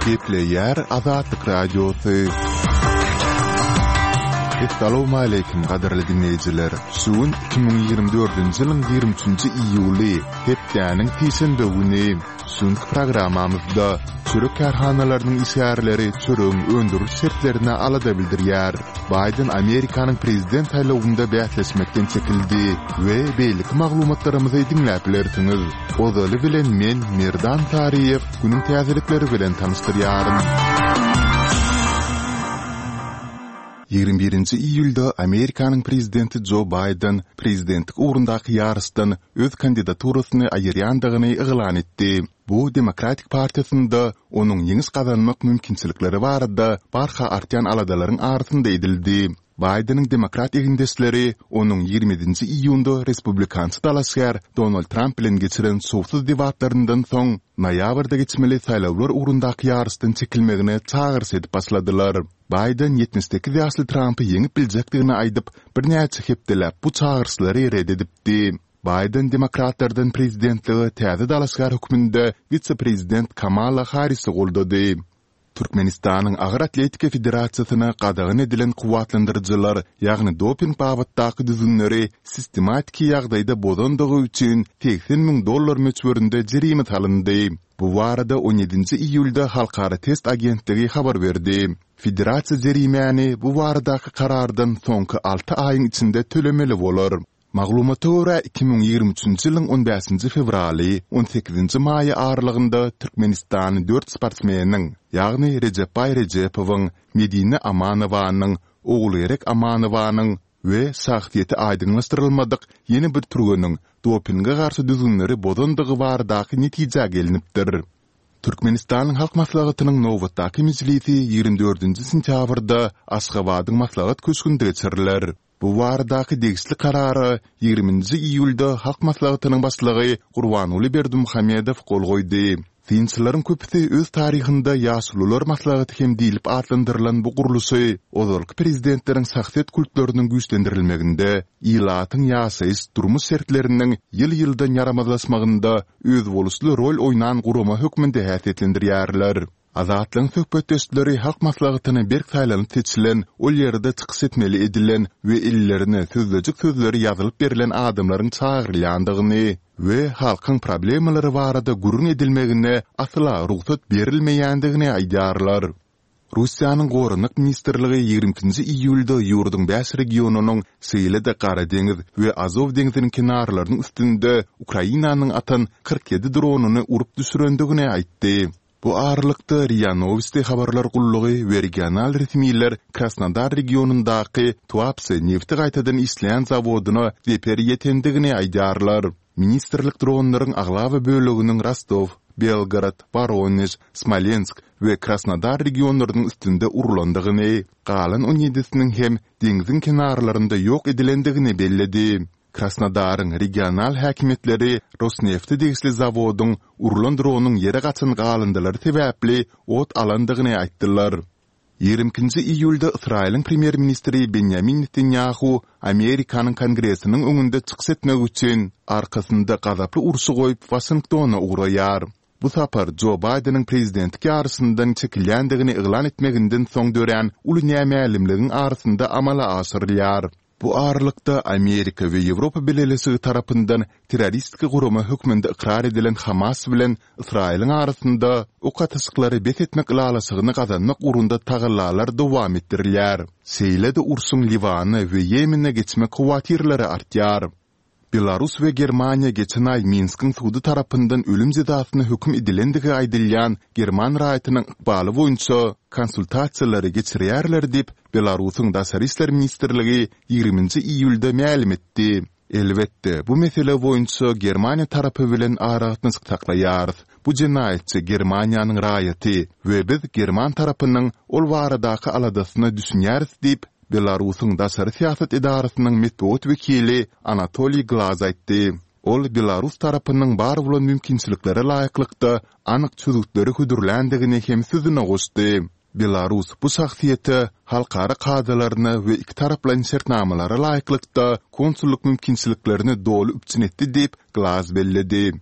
Gepleýär Azatlyk Radiosy. Essalawmaleýkim gadyrly diňleýjiler! Şu gün 2024-nji ýylyň 23-nji iýuly, hepdäniň sişenbe güni. Şu günki programmamyzda çörek kärhanalarynyň işgärleri çöregiň öndüriliş şertlerine alada bildirýär. Baýden Amerikanyň prezident saýlawynda bäsleşmekden çekildi we beýleki maglumatlarymyzy diňläp bilersiňiz. Ozaly bilen men, Merdan Saryýew, günüň täzelikleri bilen tanyşdyrýaryn. 21-nji iýulda Amerikanyň prezidenti Jo Baýden prezidentlik ugrundaky ýaryşdan öz kandidaturasyny aýyrýandygyny yglan etdi. Bu Demokratik partiýasynda onuň ýeňiş gazanmak mümkinçilikleri barada barha artýan aladalaryň arasynda edildi. Baýdeniň demokrat egindeşleri onuň 27-nji iýunda respublikançy dalaşgär Donald Tramp bilen geçiren şowsuz debatlaryndan soň, noýabrda geçmeli saýlawlar ugrundaky ýaryşdan çekilmegine çagyryş edip başladylar. Baýden 78 ýaşly Trampy ýeňip biljekdigini aýdyp, birnäçe hepdeläp bu çagyryşlary ret edipdi. Baýden demokratlardan prezidentlige täze dalaşgär hökmünde wise-prezident Kamala Harrisi goldady. Türkmenistanyň Agyr atletika federasiýasyna gadagan edilen kuwwatlandyryjylar, ýagny doping babatdaky düzgünleri sistematiki ýagdaýda bozandygy üçin 80 müň dollar möçberinde jerime salyndy. Bu barada on ýedinji iýulda Halkara test agentligi habar berdi. Federasiýa jerimäni bu baradaky karardan soňky alty aýyň içinde tölemeli bolar. Maglumata görä, 2023-nji ýylyň on bäşinji fewraly, on sekizinji maýy aralygynda türkmenistanly dört sportsmeniň, ýagny Rejepbaý Rejepowyň, Medine Amanowanyň, Ogulgerek Amanowanyň we şahsyýeti aýdyňlaşdyrylmadyk ýene bir türgeniň dopinge garşy düzgünleri bozandygy baradaky netijä gelnipdir. Türkmenistanyň Halk Maslahatynyň nobatdaky mejlisi 24-nji sentýabrda Aşgabadyň Maslahat köşgünde geçiriler. Bu baradaky degişli Karara 20-nji iýulda Halk Maslahatynyň Başlygy Gurbanguly Berdimuhamedow gol goýdy. Synçylaryň köpüsi öz taryhynda Ýaşulular maslahaty hem diýlip atlandyrylan bu gurluşy ozalky prezidentleriň şahsyýet kultlarynyň güýçlendirilmeginde, ilatyň ýaşaýyş, durmuş şertleriniň ýyl-ýyldan ýaramazlaşmagynda özboluşly rol oýnan gurama hökmünde häsiýetlendirýärler. Azatlygyň söhbetdeşleri Halk Maslahatyna berk saýlanyp seçilen, ol ýerde çykyş etmeli edilen we ellerine sözlejik sözleri ýazylyp berlen adamlaryň çagyrylýandygyny we halkyň problemalary barada gürrüň edilmegine asla rugsat berilmeýändigini aýdýarlar. Russiýanyň Goranmak ministrligi 22-nji iýulda ýurduň bäş regionynyň, şeýle-de Gara deňiz we Azow deňziniň kenarlarynyň üstünde Ukrainanyň atan 47 dronyny urup düşürendigini aýtdy. Bu aralykda, RIA Nowosti habarlar gullugy we regional resmiler Krasnodar regionyndaky Tuapse nebti gaýtadan işleýän zawodyna zeper ýetendigini aýdýarlar. Ministrlik dronlaryň aglaba böleginiň Rostow, Belgorod, Woronež, Smolensk we Krasnodar regionlarynyň üstünde urlandygyny, galan on ýedisiniň hem deňziň kenarlarynda ýok edilendigini belledi. Krasnodaryň regional häkimiýetleri Rosnefte degişli zawodyň urlan dronyň ýere gaçan galyndylary sebäpli ot alandygyny aýtdylar. 22-nji iýulda Ysraýylyň premýer-ministri Benýamin Netanýahu Amerikanyň Kongresiniň öňünde çykyş etmek üçin arkasynda gazaply urşy goýup Waşingtona ugraýar. Bu sapar Jo Baýdeniň prezidentlik ýaryşyndan çekilýändigini yglan etmeginden soň dörän uly nämälimligiň arasynda amala aşyrylýar. Bu aralykda, Amerika we Ýewropa Bileleşigi tarapyndan terroristik gurama hökmünde ykrar edilen Hamas bilen Ysraýylyň arasynda ok atyşyklary bes etmek ylalaşygyny gazanmak ugrunda tagallalar dowam etdirilýär. Şeýle-de urşuň Liwana we Ýemene geçmek howatyrlary artýar. Belarus we Germaniýa geçen aý Minskiň sudy tarapyndan ölüm jezasyna höküm edilendigi aýdylýan german raýatynyň ykbaly boýunça konsultasiýalary geçirýärler diýip, Belarusyň Daşary işler ministrligi ýigriminji iýulda mälim etdi. Elbetde, bu mesele boýunça Germaniýa tarapy bilen aragatnaşyk saklaýarys. Bu jenaýatçy Germaniýanyň raýaty we biz german tarapynyň ol baradaky aladasyna düşünýäris diýip, Belarusyň daşary syýasat edarasynyň metbugat wekili Anatoliý Glaz aýtdy. Ol belarus tarapynyň bar bolan mümkinçiliklere laýyklykda anyk çözgütleri hödürländigini hem sözüne goşdy. Belarus bu şahsyýete halkara kadalaryna we ikitaraplaýyn şertnamalara laýyklykda konsullyk mümkinçiliklerini doly üpjün etdi diýip, Glaz belledi.